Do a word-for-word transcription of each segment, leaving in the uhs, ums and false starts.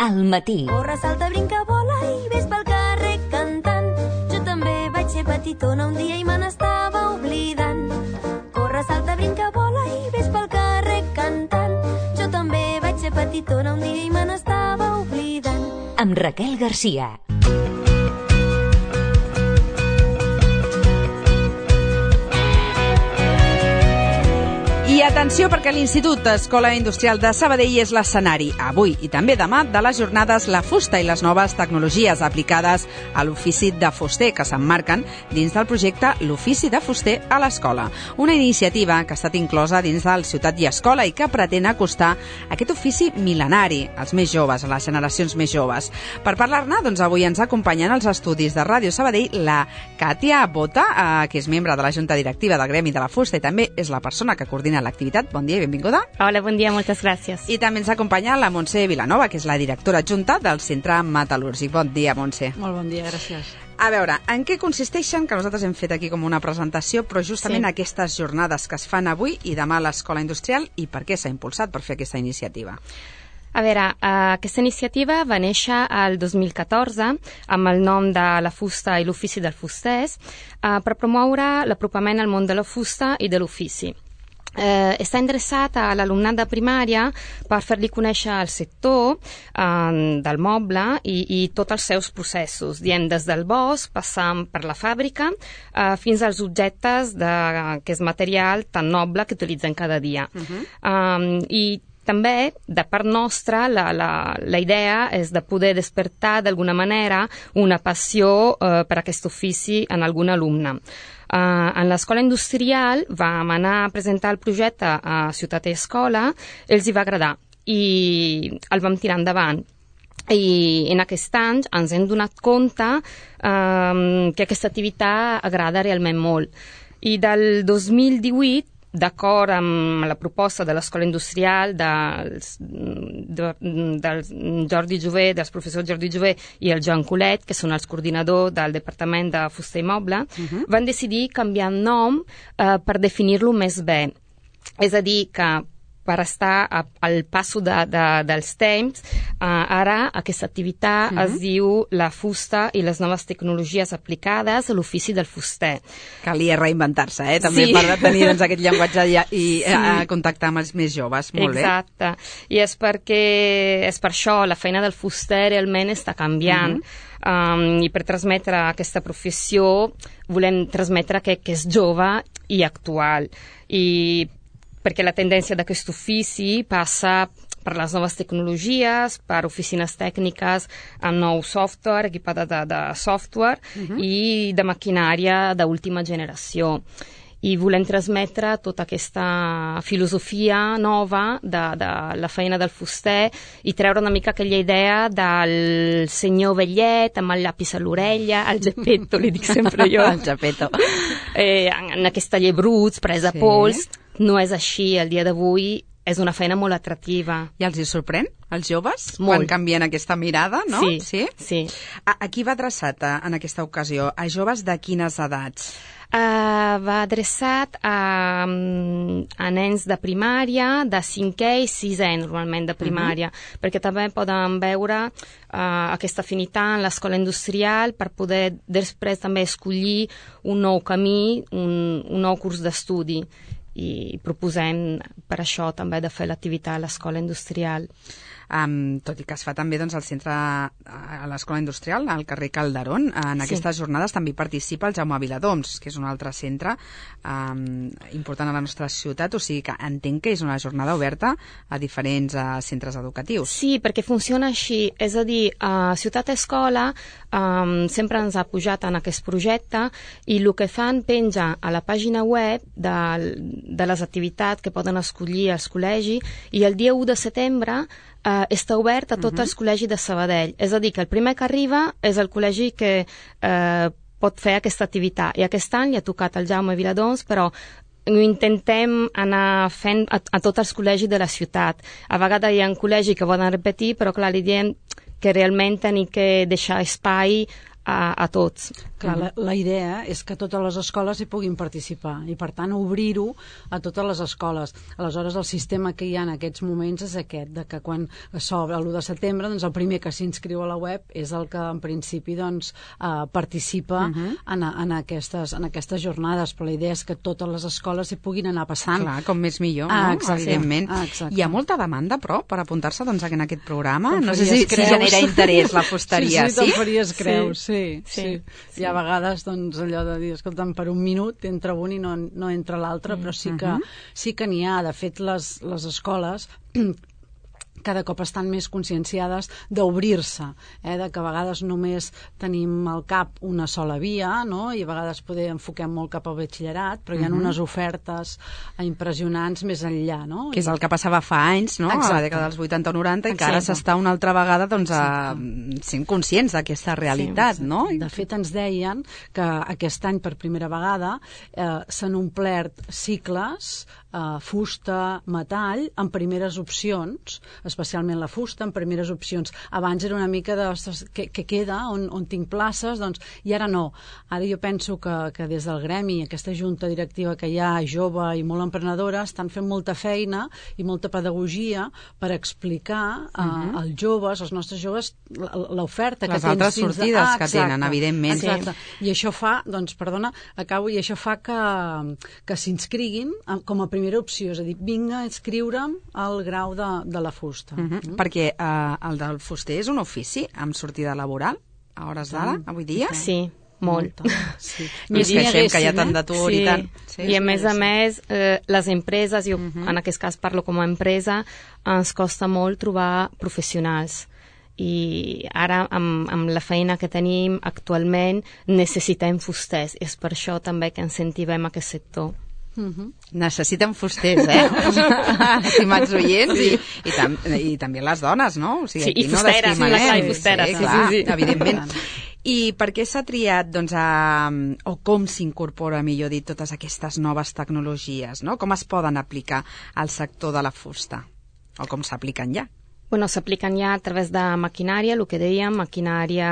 al matí. Corre, salta, brinca, vola i ves pel carrer cantant. Jo també vaig ser petitona un dia i me n'estava oblidant. Corre, salta, brinca, vola i ves pel carrer cantant. Jo també vaig ser petitona un dia i me n'estava oblidant. Amb Raquel Garcia. I atenció, perquè l'Institut Escola Industrial de Sabadell és l'escenari, avui i també demà, de les jornades La Fusta i les noves tecnologies aplicades a l'ofici de fuster, que s'emmarquen dins del projecte L'Ofici de Fuster a l'Escola. Una iniciativa que ha estat inclosa dins del Ciutat i Escola i que pretén acostar aquest ofici mil·lenari als més joves, a les generacions més joves. Per parlar-ne, doncs avui ens acompanyen als estudis de Ràdio Sabadell la Katia Bota, eh, que és membre de la Junta Directiva del Gremi de la Fusta i també és la persona que coordina l'activitat. Bon dia i benvinguda. Hola, bon dia, moltes gràcies. I també ens acompanya la Montse Vilanova, que és la directora adjunta del Centre Metal·lúrgic. Bon dia, Montse. Molt bon dia, gràcies. A veure, en què consisteixen, que nosaltres hem fet aquí com una presentació, però justament sí. aquestes jornades que es fan avui i demà a l'Escola Industrial, i per què s'ha impulsat per fer aquesta iniciativa? A veure, uh, aquesta iniciativa va néixer el dos mil catorze amb el nom de La Fusta i l'Ofici del Fusters uh, per promoure l'apropament al món de la fusta i de l'ofici. Eh, està endreçat a l'alumnat de primària per fer-li conèixer el sector eh, del moble i, i tots els seus processos, dient des del bosc, passant per la fàbrica, eh, fins als objectes de, que és material tan noble que utilitzen cada dia. Uh-huh. eh, I també, de part nostra, la, la, la idea és de poder despertar d'alguna manera una passió eh, per aquest ofici en algun alumne. Uh, en l'escola industrial vam anar a presentar el projecte a Ciutat i Escola, ells hi va agradar i el vam tirar endavant. I en aquest any ens hem donat compte um, que aquesta activitat agrada realment molt. I del dos mil divuit, d'acord amb la proposta de l'Escola Industrial dels, de, del Jordi Jové, dels professors Jordi Jové i el Joan Colet, que són els coordinadors del Departament de Fuster i Moble, uh-huh. van decidir canviar el nom eh, per definir-lo més bé. És a dir, que per estar a, al passo de, de, dels temps, uh, ara aquesta activitat uh-huh. es diu La Fusta i les noves tecnologies aplicades a l'ofici del fuster. Calia reinventar-se, eh? També sí. per tenir doncs, aquest llenguatge i, i sí. a contactar amb els més joves. Molt Exacte. bé. I és perquè és per això la feina del fuster realment està canviant. Uh-huh. Um, I per transmetre aquesta professió volem transmetre que, que és jove i actual. I perquè la tendència d'aquest ofici passa per les noves tecnologies, per oficines tècniques amb nou software, equipada de, de software uh-huh. i de maquinària d'última generació. I volem transmetre tota aquesta filosofia nova de, de la feina del fuster i treure una mica aquella idea del senyor vellet amb el llapis a l'orella, el Geppetto, li dic sempre jo. El Geppetto. Eh, en, en aquest taller bruts, presa sí. pols. No és així, el dia d'avui és una feina molt atractiva. I els hi sorprèn, els joves, molt. Quan canvien aquesta mirada, no? Sí, sí. sí. A, a qui va adreçat a, en aquesta ocasió? A joves de quines edats? Uh, va adreçat a, a nens de primària, de cinquè i sisè, normalment, de primària, uh-huh. perquè també poden veure uh, aquesta afinitat en l'escola industrial per poder després també escollir un nou camí, un, un nou curs d'estudi. I proposem per això també de fer l'activitat a l'escola industrial. Um, tot i que es fa també doncs, al centre, a l'escola industrial, al carrer Calderón. En sí. aquestes jornades també participa el Jaume Viladoms, que és un altre centre um, important a la nostra ciutat, o sigui que entenc que és una jornada oberta a diferents uh, centres educatius. Sí, perquè funciona així, és a dir, a Ciutat Escola um, sempre ens ha pujat en aquest projecte i el que fan penja a la pàgina web de, de les activitats que poden escollir els col·legis i el dia u de setembre Uh, està obert a tots uh-huh. els col·legis de Sabadell. És a dir, que el primer que arriba és el col·legi que uh, pot fer aquesta activitat. I aquest any li ha tocat el Jaume Viladoms, però intentem anar fent a, a tots els col·legis de la ciutat. A vegades hi ha un col·legi que volen repetir, però clar, li diem que realment tenim que deixar espai a, a tots. Clar, la, la idea és que totes les escoles hi puguin participar i, per tant, obrir-ho a totes les escoles. Aleshores, el sistema que hi ha en aquests moments és aquest, de que quan s'obre l'u de setembre, doncs el primer que s'inscriu a la web és el que, en principi, doncs, eh, participa uh -huh. en, en, aquestes, en aquestes jornades, però la idea és que totes les escoles hi puguin anar passant. Clar, com més millor, ah, no? Exacte. Evidentment. Ah, exacte. Hi ha molta demanda, però, per apuntar-se doncs, en aquest programa? Te'n No sé si, si genera interès la fusteria, sí? Sí, sí, sí? te'n faries creus, sí. Sí, sí. sí. Hi ha vegades doncs, allò de dir, escolta'm, per un minut entra un i no, no entra l'altre, però sí que, sí que n'hi ha. De fet, les, les escoles cada cop estan més conscienciades d'obrir-se, eh? De que a vegades només tenim al cap una sola via, no? I a vegades poder enfoquem molt cap al batxillerat, però hi ha uh -huh. unes ofertes impressionants més enllà, no? Que és el que passava fa anys, no? Exacte. A la dècada dels vuitanta o noranta, i que Exacte. ara s'està una altra vegada doncs, a, sent conscients d'aquesta realitat, Sí, no? De fet, ens deien que aquest any, per primera vegada, eh, s'han omplert cicles, eh, fusta, metall, en primeres opcions, especialment la fusta, en primeres opcions. Abans era una mica de ostres, què, què queda, on, on tinc places, doncs, i ara no. Ara jo penso que, que des del gremi, aquesta junta directiva que hi ha, jove i molt emprenedora, estan fent molta feina i molta pedagogia per explicar uh, uh-huh. als joves, als nostres joves, l'oferta que les tens altres dins sortides de... ah, que tenen, evidentment. Exacte. I això fa, doncs, perdona, acabo, i això fa que, que s'inscriguin com a primera opció, és a dir, vinga a inscriure'm al grau de, de la fusta. Uh-huh. Mm. Perquè eh, el del fuster és un ofici amb sortida laboral a hores d'ara, avui dia? Sí, molt. Sí. I ens queixem que hi ha tant d'atur sí. i tant. Sí, I a més sí. a més, eh, les empreses, jo uh-huh. en aquest cas parlo com a empresa, ens costa molt trobar professionals. I ara, amb, amb la feina que tenim actualment, necessitem fusters. És per això també que incentivem aquest sector. Uh-huh. Necessiten fusters, eh? Estimats oients, i, i, tam i també les dones, no? O sigui, sí, i fusteres, no sí, clar, i fusteres, sí, sí, clar, sí, sí. Evidentment. I per què s'ha triat, doncs, a, o com s'incorpora, millor dit, totes aquestes noves tecnologies, no? Com es poden aplicar al sector de la fusta? O com s'apliquen ja? Bueno, s'apliquen ja a través de maquinària, el que dèiem, maquinària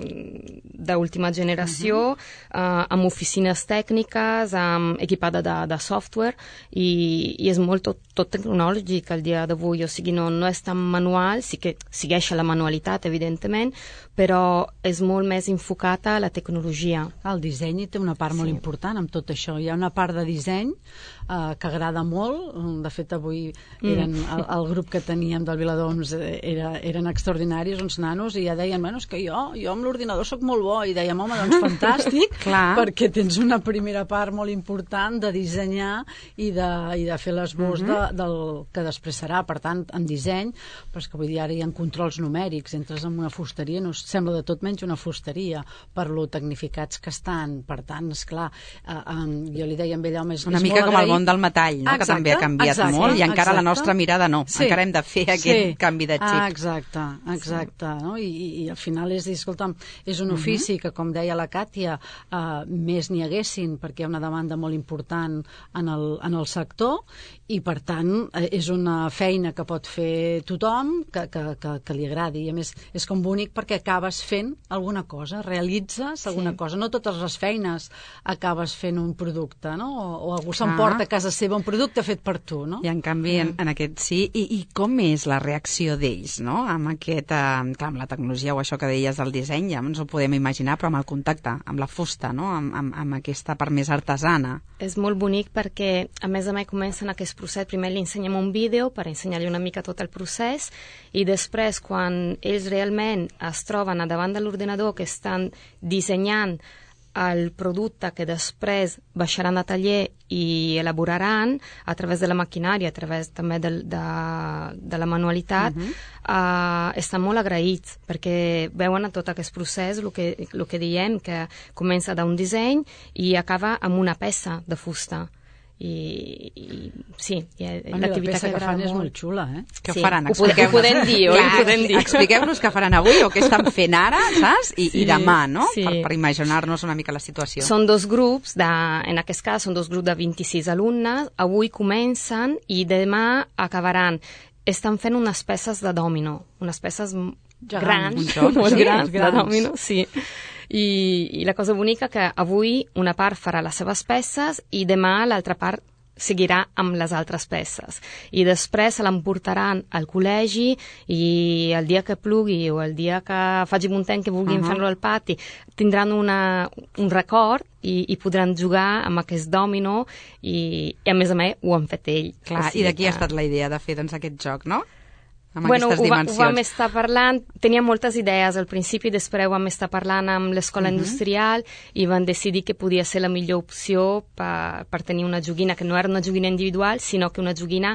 d'última generació, uh-huh. eh, amb oficines tècniques, amb equipada de, de software, i, i és molt tot, tot tecnològic el dia d'avui, o sigui, no, no és tan manual, sí que segueix la manualitat, evidentment, però és molt més enfocat a la tecnologia. El disseny té una part sí. molt important amb tot això. Hi ha una part de disseny eh, que agrada molt. De fet, avui eren, mm. el, el grup que teníem del Viladoms era, eren extraordinaris, uns nanos, i ja deien, bueno, és que jo, jo amb l'ordinador sóc molt bo, i dèiem, home, doncs fantàstic, perquè tens una primera part molt important de dissenyar i de, i de fer l'esbós mm-hmm. de, del que després serà. Per tant, en disseny, però és que vull dir, ara hi ha controls numèrics, entres en una fusteria, no sembla de tot menys una fusteria, per lo tecnificats que estan. Per tant, esclar, eh, eh, jo li deia a ell, home, és, una és mica molt com agraït. el món del metall, no? Exacte, que també ha canviat exacte, molt, i encara exacte. la nostra mirada no. Sí. Encara hem de fer aquest sí. canvi de xip. Ah, exacte, exacte. Sí. No? I, i, I al final és dir, escolta'm, és un ofici uh-huh. que, com deia la Càtia, eh, més n'hi haguessin, perquè hi ha una demanda molt important en el, en el sector, i per tant eh, és una feina que pot fer tothom, que, que, que, que li agradi. I a més és com bonic perquè acabes fent alguna cosa, realitzes alguna sí. cosa. No totes les feines acabes fent un producte, no? O, o algú s'emporta a casa seva un producte fet per tu, no? I en canvi, en, en aquest sí. I, I com és la reacció d'ells, no? Amb aquest, eh, clar, amb la tecnologia o això que deies del disseny, ja ens ho podem imaginar, però amb el contacte, amb la fusta, no? Amb, amb, amb aquesta part més artesana. És molt bonic perquè, a més a més, comencen aquest procés. Primer li ensenyem un vídeo per ensenyar-li una mica tot el procés, i després, quan ells realment es troben a davant de l'ordinador, que estan dissenyant el producte que després baixaran a taller i elaboraran a través de la maquinària, a través també de, de, de la manualitat, uh-huh. uh, estan molt agraïts perquè veuen a tot aquest procés, el que, el que diem, que comença d'un disseny i acaba amb una peça de fusta. I, i sí, i l'activitat que, que fan molt. És molt xula, eh? Què sí, faran? Ho, ho podem dir, oi? Ho podem dir. Expliqueu-nos què faran avui o què estan fent ara, saps? I, sí, i demà, no? Sí. Per, per imaginar-nos una mica la situació. Són dos grups, de, en aquest cas són dos grups de vint-i-sis alumnes, avui comencen i demà acabaran. Estan fent unes peces de dòmino, unes peces Gegant. grans, joc, molt sí, grans, grans de dòmino, sí. I, i la cosa bonica que avui una part farà les seves peces i demà l'altra part seguirà amb les altres peces. I després se l'emportaran al col·legi i el dia que plugui o el dia que faci un temps que vulguin uh-huh. fer-lo al pati tindran una, un record i, i podran jugar amb aquest dòmino i, i a més a més ho han fet ell. Clar, i d'aquí que... ha estat la idea de fer doncs, aquest joc, no? Amb bueno, aquestes ho, va, dimensions. ho vam estar parlant, tenia moltes idees al principi, després ho vam estar parlant amb l'escola uh-huh. industrial i van decidir que podia ser la millor opció per, per tenir una joguina que no era una joguina individual, sinó que una joguina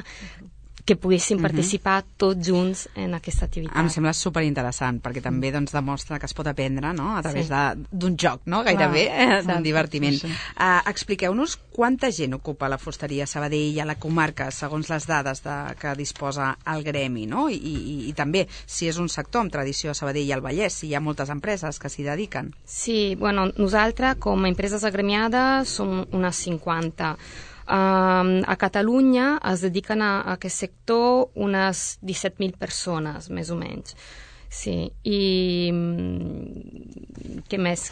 que poguessin uh-huh. participar tots junts en aquesta activitat. Em sembla superinteressant, perquè també doncs, demostra que es pot aprendre no? a través sí. d'un joc, no? Gairebé, eh, d'un divertiment. Sí, sí. Uh, expliqueu-nos quanta gent ocupa la fusteria Sabadell a la comarca, segons les dades de, que disposa el gremi, no? I, i, i també si és un sector amb tradició a Sabadell i al Vallès, si hi ha moltes empreses que s'hi dediquen. Sí, bueno, nosaltres com a empreses agremiades som unes cinquanta. Um, a Catalunya es dediquen a, a aquest sector unes disset mil persones, més o menys. Sí, i què més?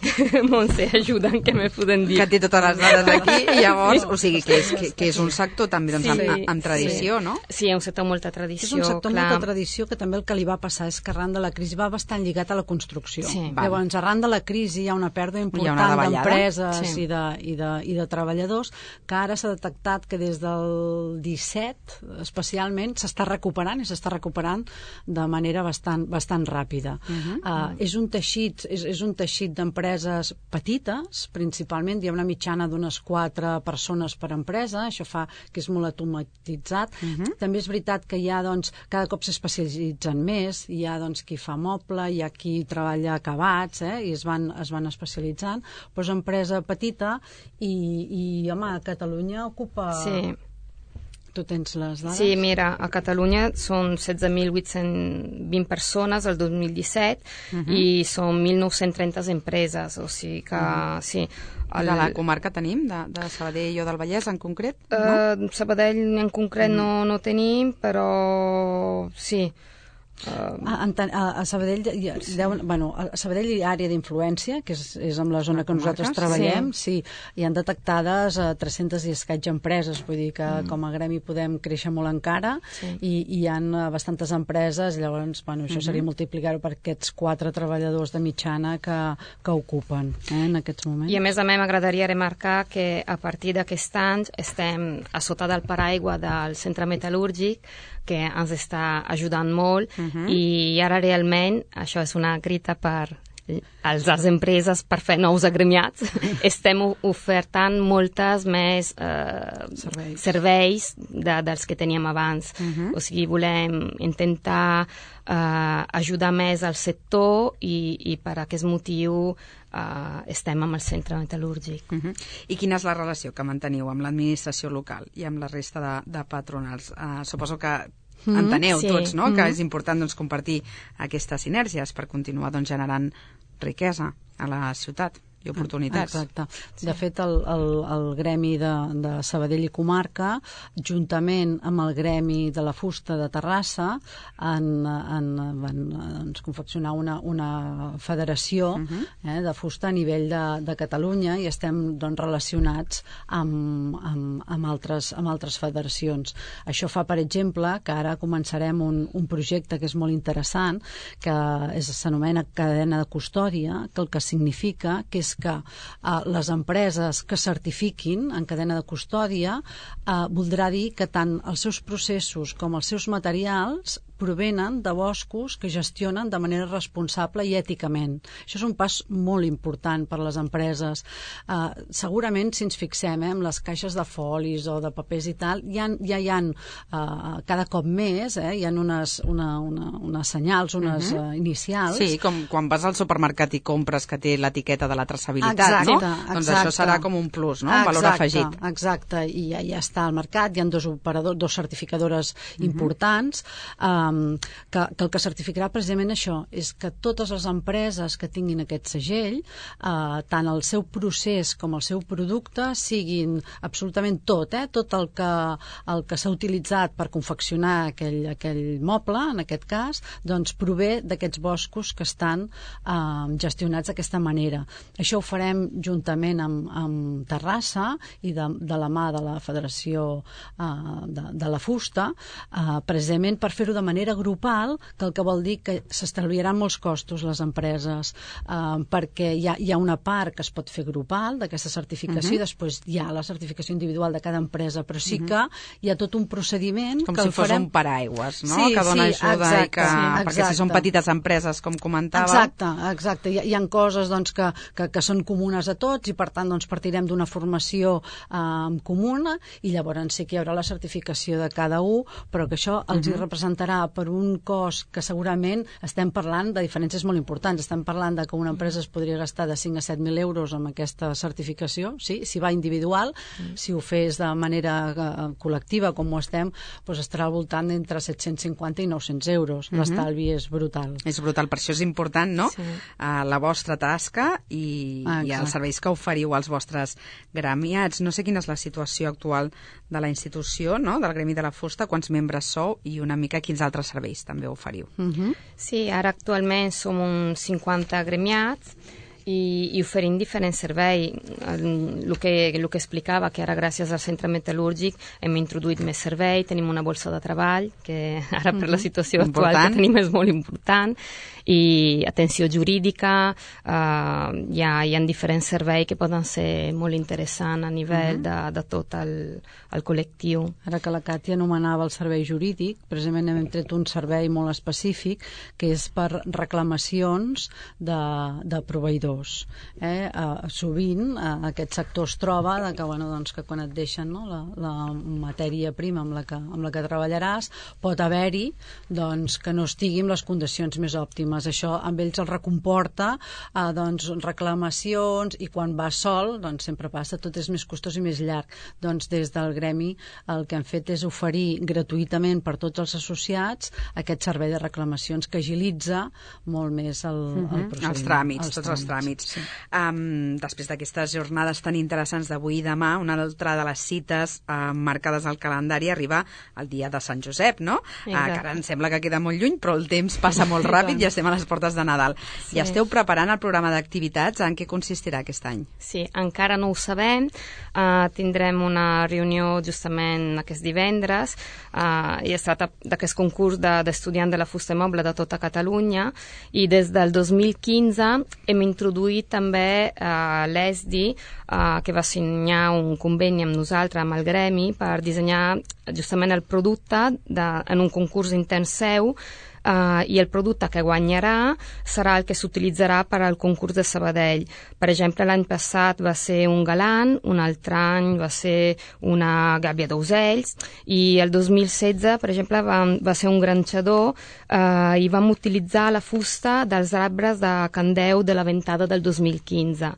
Montse, ajuda'm, què me poden dir? Que té totes les dades aquí i llavors, o sigui, que és, que, que és un sector també doncs, sí, amb, amb tradició, sí. no? Sí, és un sector amb molta tradició. És un sector amb clar. molta tradició que també el que li va passar és que arran de la crisi va bastant lligat a la construcció. Sí. Llavors, arran de la crisi hi ha una pèrdua important d'empreses sí. i, de, i, de, i de treballadors que ara s'ha detectat que des del disset, especialment, s'està recuperant i s'està recuperant de manera bastant, bastant ràpida. Uh-huh. Uh, és un teixit, és, és un teixit d'empreses petites, principalment, hi ha una mitjana d'unes quatre persones per empresa, això fa que és molt automatitzat. Uh-huh. També és veritat que hi ha, doncs, cada cop s'especialitzen més, hi ha, doncs, qui fa moble, hi ha qui treballa acabats, eh, i es van, es van especialitzant, però és empresa petita i, i home, a Catalunya ocupa... Sí. Tu tens les dades? Sí, mira, a Catalunya són setze mil vuit-cents vint persones el dos mil disset uh-huh. i són mil nou-cents trenta empreses, o sigui que, uh-huh. sí. El... De la comarca tenim, de, de Sabadell o del Vallès en concret? Uh, no? Sabadell en concret uh-huh. no, no tenim, però sí. Uh, a, a, a Sabadell hi ha, sí. deuen, bueno, a Sabadell hi ha àrea d'influència, que és, és amb la zona que nosaltres treballem, sí. sí, hi han detectades uh, tres-centes i escaig empreses, vull dir que mm. com a gremi podem créixer molt encara sí. i, i hi ha uh, bastantes empreses, llavors bueno, això mm-hmm. seria multiplicar-ho per aquests quatre treballadors de mitjana que, que ocupen eh, en aquests moments. I a més a més m'agradaria remarcar que a partir d'aquest any estem a sota del paraigua del centre metal·lúrgic que ens està ajudant molt uh-huh. i ara realment, això és una crida per als, les empreses per fer nous agremiats, estem ofertant moltes més eh, serveis, serveis de, dels que teníem abans. Uh-huh. O sigui, volem intentar eh, ajudar més al sector i, i per aquest motiu Uh, estem amb el centre metal·lúrgic. Uh-huh. I quina és la relació que manteniu amb l'administració local i amb la resta de, de patronals? Uh, suposo que mm-hmm. enteneu sí. tots, no?, mm-hmm. que és important doncs, compartir aquestes sinergies per continuar doncs, generant riquesa a la ciutat i oportunitats. Exacte. Sí. De fet, el, el, el gremi de, de Sabadell i comarca, juntament amb el gremi de la fusta de Terrassa, han, han, van doncs, confeccionar una, una federació uh-huh. eh, de fusta a nivell de, de Catalunya i estem doncs, relacionats amb, amb, amb, altres, amb altres federacions. Això fa, per exemple, que ara començarem un, un projecte que és molt interessant, que s'anomena cadena de custòdia, que el que significa que és que eh, les empreses que certifiquin en cadena de custòdia eh, voldrà dir que tant els seus processos com els seus materials provenen de boscos que gestionen de manera responsable i èticament. Això és un pas molt important per a les empreses. Uh, segurament, si ens fixem eh, en les caixes de folis o de papers i tal, ja, ja hi ha uh, cada cop més, eh, hi ha unes, una, una, unes senyals, unes uh-huh. uh, inicials. Sí, com quan vas al supermercat i compres que té l'etiqueta de la traçabilitat, exacte, no? Exacte. Doncs això serà com un plus, no? Un exacte, valor afegit. Exacte, i ja, ja està al mercat, hi ha dos operadors, dos certificadores uh-huh. importants, uh, um, que, que el que certificarà precisament això és que totes les empreses que tinguin aquest segell, uh, tant el seu procés com el seu producte siguin absolutament tot, eh? tot el que, el que s'ha utilitzat per confeccionar aquell, aquell moble, en aquest cas, doncs prové d'aquests boscos que estan uh, gestionats d'aquesta manera. Això ho farem juntament amb, amb Terrassa i de, de la mà de la Federació uh, de, de la Fusta, uh, precisament per fer-ho de manera grupal, que el que vol dir que s'estalviaran molts costos les empreses, uh, perquè hi ha, hi ha una part que es pot fer grupal d'aquesta certificació, uh-huh. i després hi ha la certificació individual de cada empresa, però sí que hi ha tot un procediment com que si el fos farem... un paraigües, no? Sí, que dona sí, ajuda exacte, i que... sí, perquè si són petites empreses, com comentava... Exacte, exacte. Hi ha, hi ha coses doncs, que, que, que són comunes a tots i per tant doncs, partirem d'una formació eh, comuna i llavors sí que hi haurà la certificació de cada un, però que això els uh-huh. hi representarà per un cost que segurament estem parlant de diferències molt importants. Estem parlant de que una empresa es podria gastar de cinc a set mil euros amb aquesta certificació, sí? Si va individual, uh-huh. si ho fes de manera uh, col·lectiva com ho estem, doncs estarà al voltant d'entre set-cents cinquanta i nou-cents euros. Uh-huh. L'estalvi és brutal. És brutal, per això és important, no? Sí. Uh, la vostra tasca i, ah, i els serveis que oferiu als vostres gremiats. No sé quina és la situació actual de la institució, no? Del Gremi de la Fusta, quants membres sou i una mica quins altres serveis també oferiu. Uh-huh. Sí, ara actualment som uns cinquanta gremiats i, i oferim diferents serveis. El que, el que explicava, que ara gràcies al centre metal·lúrgic hem introduït més servei, tenim una borsa de treball, que ara per la situació mm-hmm. actual que tenim és molt important, i atenció jurídica, uh, hi, ha, hi ha diferents serveis que poden ser molt interessants a nivell mm-hmm. de, de tot el, el col·lectiu. Ara que la Càtia anomenava el servei jurídic, precisament hem tret un servei molt específic que és per reclamacions de, de proveïdors. Eh? Uh, sovint uh, aquest sector es troba de que, bueno, doncs, que quan et deixen, no, la, la matèria prima amb la que, amb la que treballaràs pot haver-hi doncs, que no estigui en les condicions més òptimes. Això amb ells el recomporta eh, doncs, reclamacions, i quan va sol doncs sempre passa, tot és més costós i més llarg. Doncs des del gremi el que hem fet és oferir gratuïtament per tots els associats aquest servei de reclamacions que agilitza molt més el, uh-huh. el procediment. Els tràmits, els tots tràmits. els tràmits. Sí. Um, després d'aquestes jornades tan interessants d'avui i demà, una altra de les cites uh, marcades al calendari arriba el dia de Sant Josep, no? Uh, que ara em sembla que queda molt lluny, però el temps passa molt ràpid i estem a les portes de Nadal. Sí. I esteu preparant el programa d'activitats. En què consistirà aquest any? Sí, encara no ho sabem. Uh, tindrem una reunió justament aquest divendres uh, i es tracta d'aquest concurs d'estudiants de, de la fusta i moble de tota Catalunya, i des del dos mil quinze hem introduït també uh, l'E S D I, uh, que va signar un conveni amb nosaltres, amb el gremi, per dissenyar justament el producte de, en un concurs intern seu. Uh, i el producte que guanyarà serà el que s'utilitzarà per al concurs de Sabadell. Per exemple, l'any passat va ser un galant, un altre any va ser una gàbia d'ocells, i el dos mil setze, per exemple, va, va ser un granxador uh, i vam utilitzar la fusta dels arbres de Candeu de la ventada del dos mil quinze.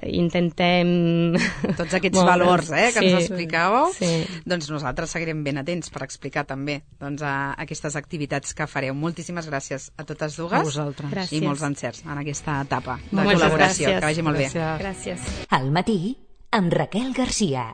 Intentem... Tots aquests bon, valors eh, que sí, ens explicàveu, sí. Doncs nosaltres seguirem ben atents per explicar també doncs, a aquestes activitats que fareu. Moltíssimes gràcies a totes dues. A vosaltres. Gràcies. I molts encerts en aquesta etapa de Moltes col·laboració. Gràcies. Que vagi molt gràcies. bé. Gràcies. Al matí, amb Raquel Garcia.